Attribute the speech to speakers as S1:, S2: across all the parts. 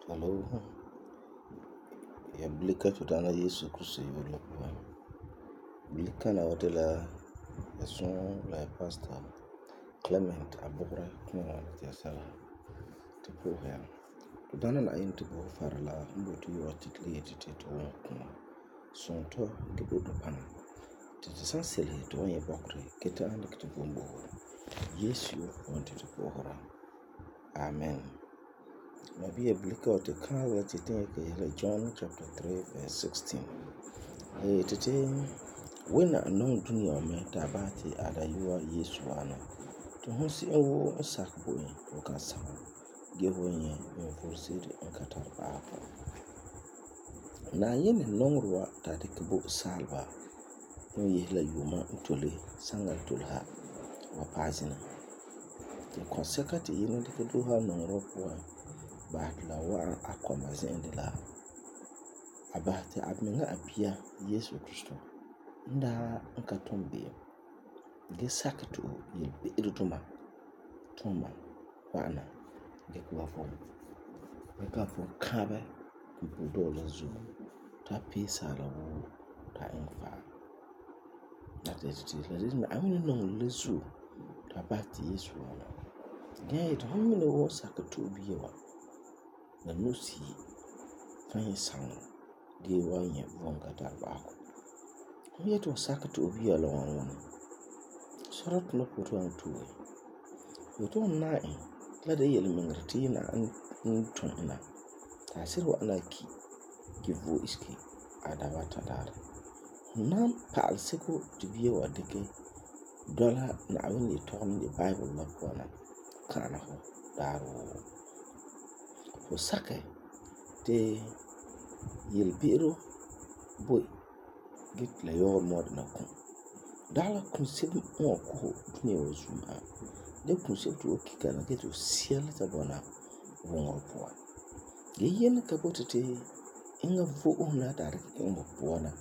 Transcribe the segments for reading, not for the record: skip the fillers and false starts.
S1: Hello, ya bulika to Daana Yesu Kristo yɔɔre la puan. Bulikana wa de la ya sɔɔ la ya pastor Clement Abugre kɔɔ ti ya sɛla ti pɔ'ɔhɛ ya. To Daana Na'ayinɛ ti bo fara la n boti yɔɔ titili yeti ti to wɔn kɔɔ sɔntɔ ge bo to paŋa. Ti san selehe to wɔn nyɛ bɔkerɛ ge ta'am dikɛ to vom bo Yesu wɔn ti to pɔ'ɔhera. Amen. Maybe a bulika wa ti kaara la ti tin yake la John chapter 3 verse 16. Titi wina nong dunia wa me ta ba ti ada yuwa Yesu ana. To hon si en wo n sak bo en o kan sak. Ge ho en en forsiri en katar ba ko. Na yene nongruwa ta de kebo salba. No yehla yuma ntole sanga tolha wa pazina. Ti konseka ti yene de kedo ha nongro po ba la wa akoma zende la abahti abmenga abia Yesu Kristo nda nka tombe ge sakto yelbe idutuma toma wana ge kwa fo kabe kumpudo la zu ta pesa la wo ta enfa na tete la dina amini nong le zu ta bahti Yesu wana ge to homine wo sakto biyewa na nusi fanyi sang ge wanya vonga tarbako ye to sakto obi ala wan sorot no poto an tuwe to na la de yel mengrti na an ton na ta sirwa ana ki vo iski adawa tadar nam paal seko tibiye wa deke dola na awini ton the bible la kona kana ho daro ko sake te yelbiro boy git la yor mod na kun dala kun sib mo ko dunia wa zuma de kun sib to kika na geto siel ta bona wongor po ge yen ka botete inga vo ona dar inga bona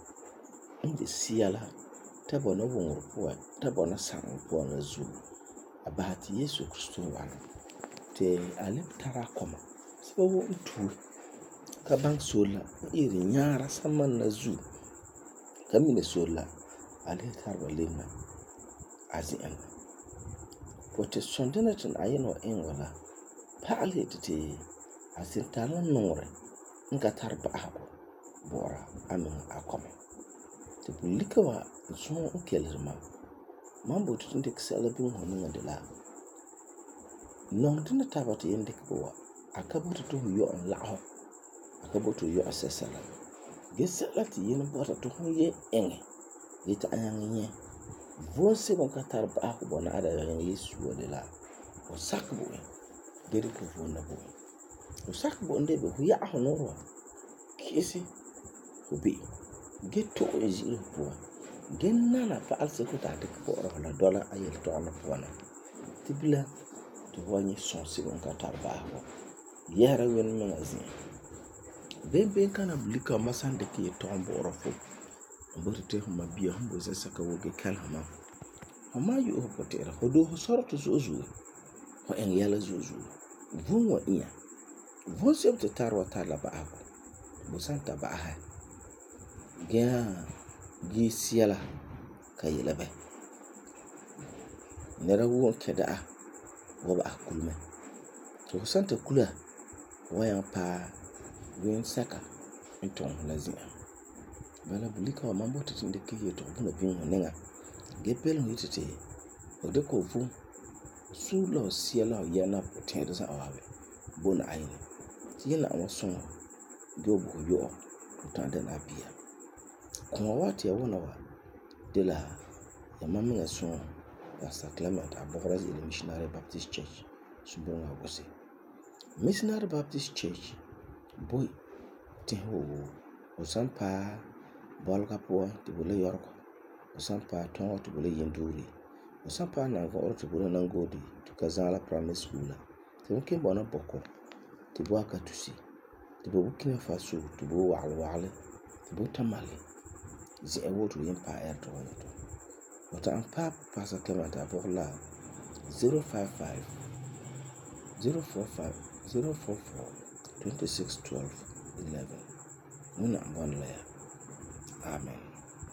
S1: inde siela ta bona wongor po ta bona sang po na zu abati Yesu Kristo wana te alep tara koma sibo ntu ka bang sola iri nyara saman na zu kamine sola ale tarba lema azin pote sondena tin ayeno engwala paale tete asintala nore nka tarba ako bora amin akoma te bulika wa so okelirma mambo tutinde kisala bin honinga de la non dina tabata yende ko akabuto to yo on laho akabuto yo asesala gesala ti yene bota to ye enge yeta ayange vonse bon katar ba ko bona ada Yesu wala la o sakbo gere ko vona bo o sakbo nde be huya honoro kisi obi geto eziro po genna na pa alse ko ta de ko la dola ayel to na pona tibila to wani sonsi bon katar ba ko yara wen magazine ben kana bulika masan de ke tombo orofo mbote te homa biya humbo saka woge kalhama homa yu opotera hodo sorto zozu ho en yala zozu vunwa iya von sebte tarwa tala ba ako bo santa ba ha gi siela kayela be nera won keda wo ba akulme to santa kula wayan pa wen saka enton lazia bala bulika wa mambo tinde kiye to buna bin honenga gepel no tete o de ko fu su lo siela yana potenda sa awabe bona ayine yena awason gobo yo to tande na bia kuma wati ya wona wa de la ya mamenga son Pastor Clement Abugre ile Missionary Baptist Church Subonga Wose Missionary Baptist Church boy te ho o sampa bolga po te bole yorko o sampa tongo te bole yenduri o sampa na go te bole nangodi to Kazala Primary School te mke bona boko te bo aka tusi te bo Burkina Faso te bo wale te bo tamale zi ewoto yempa to to wata ampa Pastor Clement Abugre la 055 045 044 26 12 11. Wẽnnaam bɔna la ya. Amen.